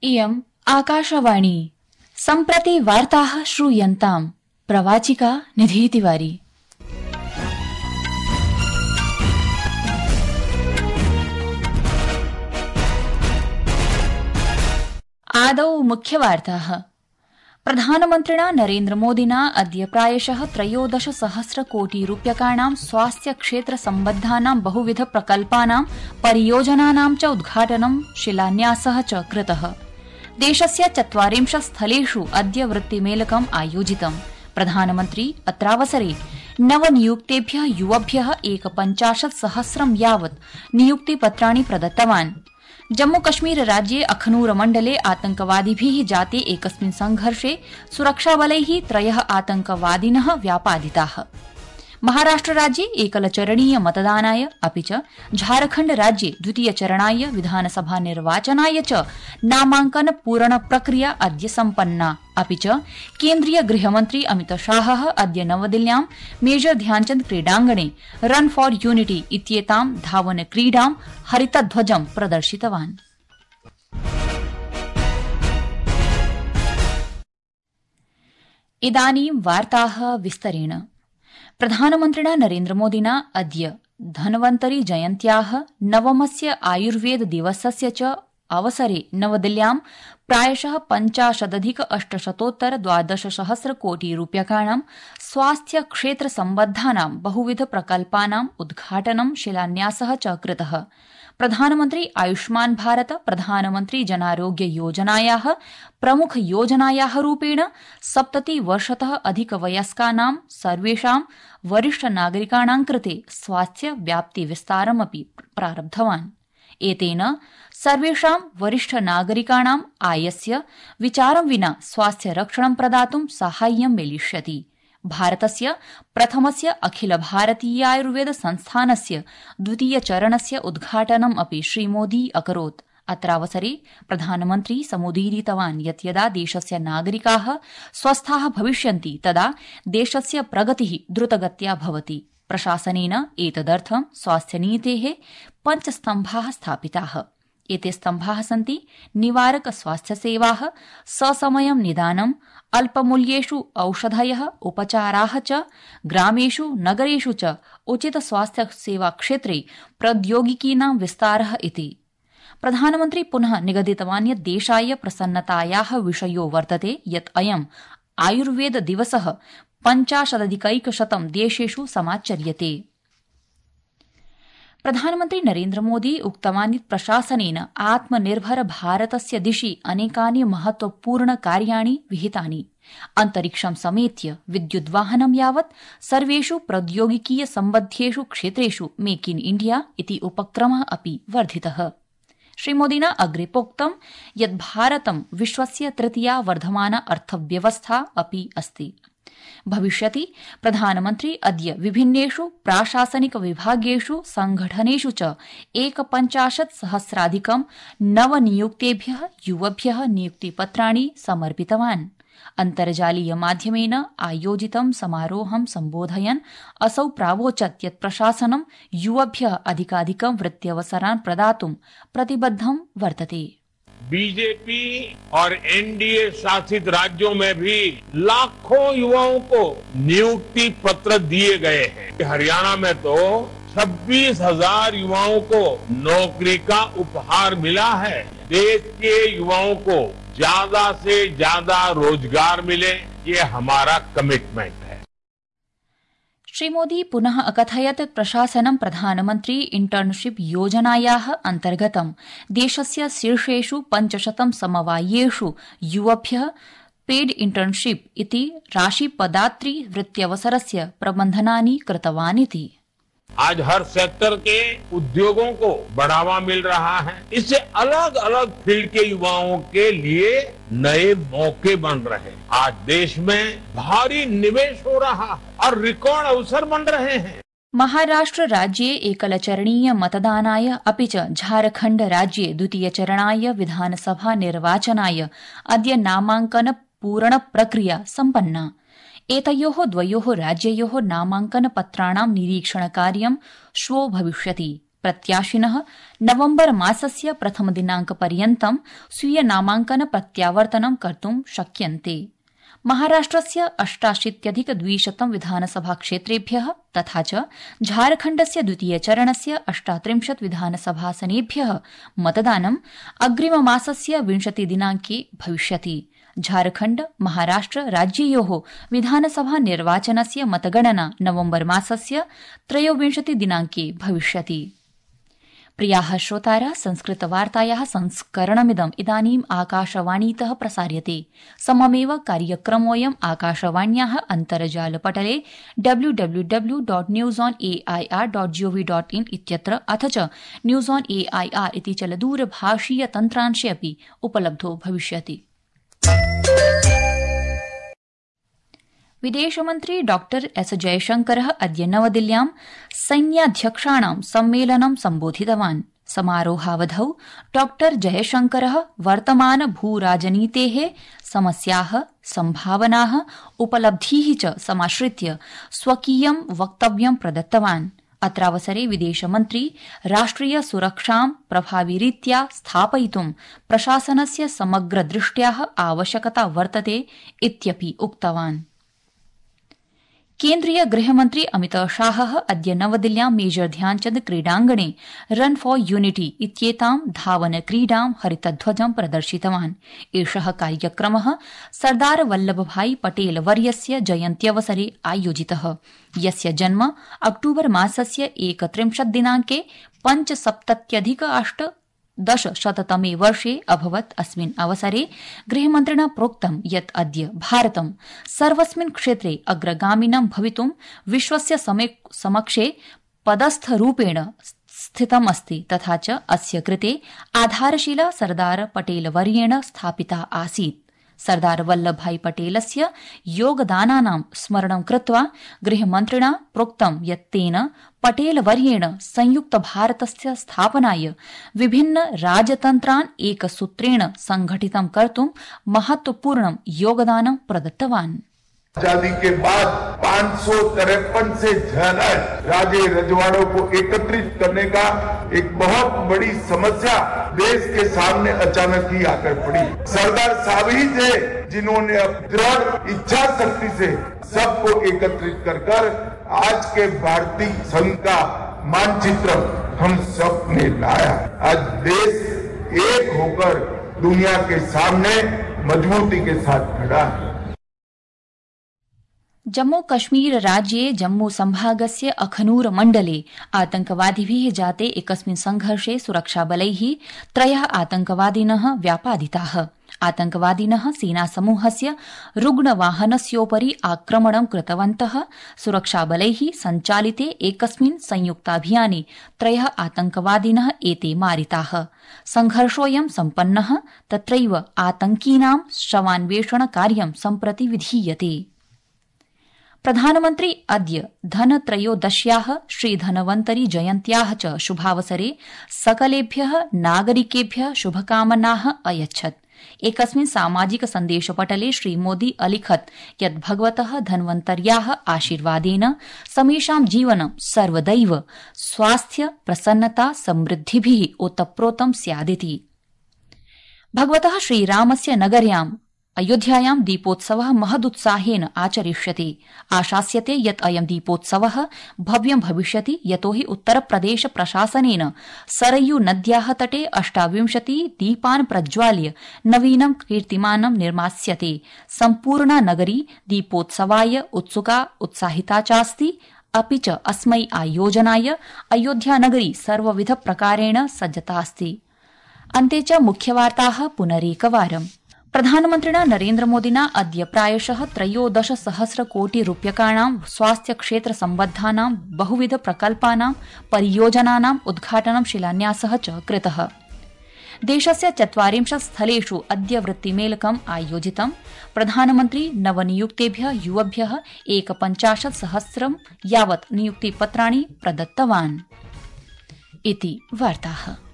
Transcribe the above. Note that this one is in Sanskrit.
इयम् आकाशवाणी सम्प्रति वार्ताः श्रूयन्ताम् प्रवाचिका निधि तिवारी। आदौ मुख्यवार्ताः। प्रधानमन्त्रिणा नरेन्द्रमोदिना अद्य प्रायशः 13,000 कोटि रूप्यकाणां स्वास्थ्य क्षेत्र सम्बद्धानां बहुविध प्रकल्पानां परियोजनानां च उद्घाटनं शिलान्यासः च कृतः। देशस्य 40 स्थलेषु अद्य वृत्तिमेलकम् आयोजितम्। प्रधानमन्त्री अत्रावसरे नवनियुक्तेभ्यः युवभ्यः 51,000 यावत् नियुक्तिपत्राणि प्रदत्तवान्। जम्मूकश्मीर राज्ये अखनूर मण्डले आतंकवादिभिः जाते एकस्मिन् संघर्षे सुरक्षाबलैः 3 आतंकवादिनः व्यापादिताः। महाराष्ट्र राज्ये एकलचरणीय मतदानाय अपि च झारखण्ड राज्ये द्वितीयचरणाय विधानसभा निर्वाचनाय च नामांकन पूरण प्रक्रिया अद्य सम्पन्ना। अपि च केन्द्रीय गृहमन्त्री अमितशाहः अद्य नवदिल्ल्यां मेजर ध्यानचन्द क्रीडाङ्गणे रन फॉर यूनिटी इत्येतां धावन क्रीडां हरितध्वजं प्रदर्शितवान्। इदानीं वार्ताः विस्तरेण। प्रधानमन्त्रिणा नरेन्द्रमोदिना अद्य धन्वन्तरी जयन्त्याः नवमस्य आयुर्वेद दिवसस्य च अवसरे नवदिल्ल्यां प्रायशः 50,800 द्वादशसहस्र कोटि रूप्यकाणां स्वास्थ्य क्षेत्र सम्बद्धानां बहुविध प्रकल्पानाम् उद्घाटनं शिलान्यासः च कृतः। प्रधानमन्त्री आयुष्मान् भारत प्रधानमन्त्री जनारोग्य योजनायाः प्रमुख योजनायाः रूपेण 70 वर्षतः अधिकवयस्कानां सर्वेषां वरिष्ठ नागरिकाणां कृते स्वास्थ्य व्याप्ति विस्तारमपि प्रारब्धवान्। एतेन सर्वेषां वरिष्ठ नागरिकाणां आयस्य विचारं विना स्वास्थ्य रक्षणं प्रदातुं साहाय्यं मिलिष्यति। भारतस्य प्रथमस्य अखिल भारतीयायुर्वेद संस्थानस्य द्वितीयचरणस्य उद्घाटनम् अपि श्रीमोदी अकरोत्। अत्रावसरे प्रधानमन्त्री समुदीरितवान् यत् यदा देशस्य नागरिकाः स्वस्थाः भविष्यन्ति तदा देशस्य प्रगतिः द्रुतगत्या भवति। प्रशासनेन एतदर्थं स्वास्थ्यनीतेः 5 स्तम्भाः स्थापिताः। एते स्तम्भाः सन्ति निवारक स्वास्थ्यसेवाः, ससमयं निदानम्, अल्पमूल्येषु औषधयः, उपचाराः च ग्रामेषु नगरेषु च उचित स्वास्थ्य सेवा क्षेत्रे प्रौद्योगिकीनां विस्तारः इति। प्रधानमन्त्री पुनः निगदितवान् यत् देशाय प्रसन्नतायाः विषयो वर्तते यत् अयम् आयुर्वेद दिवसः 50,100 देशेषु समाचर्यते। प्रधानमन्त्री नरेन्द्रमोदी उक्तवान् यत् प्रशासनेन आत्मनिर्भर भारतस्य दिशि अनेकानि महत्वपूर्ण कार्याणि विहितानि। अन्तरिक्षं समेत्य विद्युद्वाहनं यावत् सर्वेषु प्रौद्योगिकीय सम्बद्धेषु क्षेत्रेषु मेक इन इण्डिया इति उपक्रमः अपि वर्धितः। श्रीमोदिना अग्रे प्रोक्तं यत् भारतं विश्वस्य तृतीया वर्धमाना अर्थव्यवस्था अपि अस्ति। भविष्यति प्रधानमन्त्री अद्य विभिन्नेषु प्राशासनिक विभागेषु संघटनेषु च 51,000 नवनियुक्तेभ्यः युवभ्यः नियुक्तिपत्राणि समर्पितवान्। अन्तर्जालीय माध्यमेन आयोजितं समारोहं सम्बोधयन् असौ प्रावोचत् यत् प्रशासनं युवभ्यः अधिकाधिकं वृत्त्यवसरान् प्रदातुं प्रतिबद्धं वर्तते। बीजेपी और एनडीए शासित राज्यों में भी लाखों युवाओं को नियुक्ति पत्र दिए गए हैं। हरियाणा में तो 26,000 युवाओं को नौकरी का उपहार मिला है। देश के युवाओं को ज्यादा से ज्यादा रोजगार मिले, ये हमारा कमिटमेंट है। श्रीमोदी पुनः अकथयत् प्रशासनं प्रधानमन्त्री इंटर्नशिप योजनायाः अन्तर्गतं देशस्य शीर्षेषु 500 समवायेषु युवभ्यः पेड इंटर्नशिप इति राशिपदात्री वृत्त्यवसरस्य प्रबन्धनानि कृतवान् इति। आज हर सेक्टर के उद्योगों को बढ़ावा मिल रहा है। इससे अलग अलग फील्ड के युवाओं के लिए नए मौके बन रहे हैं। आज देश में भारी निवेश हो रहा है और रिकॉर्ड अवसर बन रहे हैं। महाराष्ट्र राज्ये एकलचरणीय मतदानाय अपि च झारखण्ड राज्ये द्वितीयचरणाय विधानसभा निर्वाचनाय अद्य नामांकन पूरण प्रक्रिया सम्पन्ना। एतयोः द्वयोः राज्ययोः नामांकन पत्राणां निरीक्षणकार्यं श्वो भविष्यति। प्रत्याशिनः नवम्बर मासस्य प्रथम दिनांकपर्यन्तं स्वीय नामांकन प्रत्यावर्तनं कर्तुं शक्यन्ते। महाराष्ट्रस्य 88,200 विधानसभा क्षेत्रेभ्यः तथा च झारखण्डस्य द्वितीय चरणस्य 38 विधानसभासनेभ्यः मतदानं अग्रिममासस्य 20 दिनांके भविष्यति। झारखण्ड महाराष्ट्र राज्ययोः विधानसभा निर्वाचनस्य मतगणना नवम्बर मासस्य 23 दिनांके भविष्यति। प्रियाः श्रोतारः, संस्कृतवार्तायाः संस्करणमिदम् इदानीम् आकाशवाणीतः प्रसार्यते। सममेव कार्यक्रमोऽयम् आकाशवाण्याः अन्तर्जालपटले www.newsonair.gov.in इत्यत्र अथ च न्यूज ऑन एआईआर इति चलदूरभाषीय तन्त्रांशे अपि उपलब्धो भविष्यति। विदेशमन्त्री डॉ एस जयशंकरः अद्य नवदिल्ल्यां सैन्याध्यक्षाणां सम्मेलनं सम्बोधितवान्। समारोहावधौ डॉ जयशंकरः वर्तमान भूराजनीतेः समस्याः, सम्भावनाः, उपलब्धीः च समाश्रित्य स्वकीयं वक्तव्यं प्रदत्तवान्। अत्रावसरे विदेशमन्त्री राष्ट्रिय सुरक्षां प्रभाविरीत्या स्थापयितुं प्रशासनस्य समग्रदृष्ट्याः आवश्यकता वर्तते इत्यपि उक्तवान्। केन्द्रीय गृहमन्त्री अमितशाहः अद्य नवदिल्ल्यां मेजर ध्यानचन्द क्रीडाङ्गणे रन फॉर यूनिटी इत्येतां धावनक्रीडां हरितध्वजं प्रदर्शितवान्। एषः कार्यक्रमः सरदार वल्लभभाई पटेल वर्यस्य जयन्त्यवसरे आयोजितः, यस्य जन्म अक्टूबर मासस्य 31 दिनांके 75,810 वर्षे अभवत्। अस्मिन् अवसरे गृहमन्त्रिणा प्रोक्तं यत् अद्य भारतं सर्वस्मिन् क्षेत्रे अग्रगामिनं भवितुं विश्वस्य समक्षे पदस्थरूपेण स्थितमस्ति तथा च अस्य कृते आधारशिला सरदार पटेलवर्येण स्थापिता आसीत्। सरदार वल्लभभाई पटेलस्य योगदानानां स्मरणं कृत्वा गृहमन्त्रिणा प्रोक्तं यत् तेन पटेलवर्येण संयुक्तभारतस्य स्थापनाय विभिन्न राजतन्त्रान् एकसूत्रेण संघटितं कर्तुं महत्वपूर्णं योगदानं प्रदत्तवान्। आजादी के बाद 553 से ज्यादा राजे रजवाड़ों को एकत्रित करने का एक बहुत बड़ी समस्या देश के सामने अचानक ही आकर पड़ी। सरदार साहब ही थे जिन्होंने दृढ़ इच्छा शक्ति से सबको एकत्रित कर आज के भारतीय संघ का मानचित्र हम सब ने लाया। आज देश एक होकर दुनिया के सामने मजबूती के साथ खड़ा है। जम्मू कश्मीर राज्ये जम्मू संभागस्य अखनूर मण्डले आतंकवादिभिः जाते एकस्मिन् संघर्षे सुरक्षाबलैः 3 आतंकवादिनः व्यापादिताः। आतंकवादिनः सेनासमूहस्य रुग्णवाहनस्योपरि आक्रमणं कृतवन्तः। सुरक्षाबलैः सञ्चालिते एकस्मिन् संयुक्ताभियाने 3 आतंकवादिनः एते मारिताः। संघर्षोऽयं सम्पन्नः, तत्रैव आतंकिनां शवान्वेषणकार्यं सम्प्रति विधीयते। प्रधानमन्त्री अद्य धनत्रयोदश्याः श्रीधनवन्तरी जयन्त्याः च शुभावसरे सकलेभ्यः नागरिकेभ्यः शुभकामनाः अयच्छत्। एकस्मिन् सामाजिक सन्देशपटले श्रीमोदी अलिखत् यत् भगवतः धन्वन्तर्याः आशीर्वादेन समेषां जीवनं सर्वदैव स्वास्थ्य, प्रसन्नता, समृद्धिभिः ओतप्रोतं स्यादिति। भगवतः श्रीरामस्य नगर्यां अयोध्यायां दीपोत्सवः महदुत्साहेन आचरिष्यते। आशास्यते यत् अयं दीपोत्सवः भव्यं भविष्यति, यतोहि उत्तरप्रदेश प्रशासनेन सरयू नद्याः तटे 28 दीपान् प्रज्वाल्य नवीनं कीर्तिमानं निर्मास्यते। सम्पूर्णा नगरी दीपोत्सवाय उत्साहिता चास्ति। अपि च अस्मै आयोजनाय अयोध्यानगरी सर्वविधप्रकारेण सज्जतास्ति। अन्ते च मुख्यवार्ताः पुनरेकवारम्। प्रधानमन्त्रिणा नरेन्द्रमोदिना अद्य प्रायशः 13,000 कोटि रूप्यकाणां स्वास्थ्यक्षेत्रसम्बद्धानां बहुविध प्रकल्पानां परियोजनानाम् उद्घाटनं शिलान्यासः च कृतः। देशस्य 40 स्थलेषु अद्य वृत्तिमेलकम् आयोजितम्। प्रधानमन्त्री नवनियुक्तेभ्यः युवभ्यः 51,000 यावत् नियुक्तिपत्राणि प्रदत्तवान्। इति वार्ताः।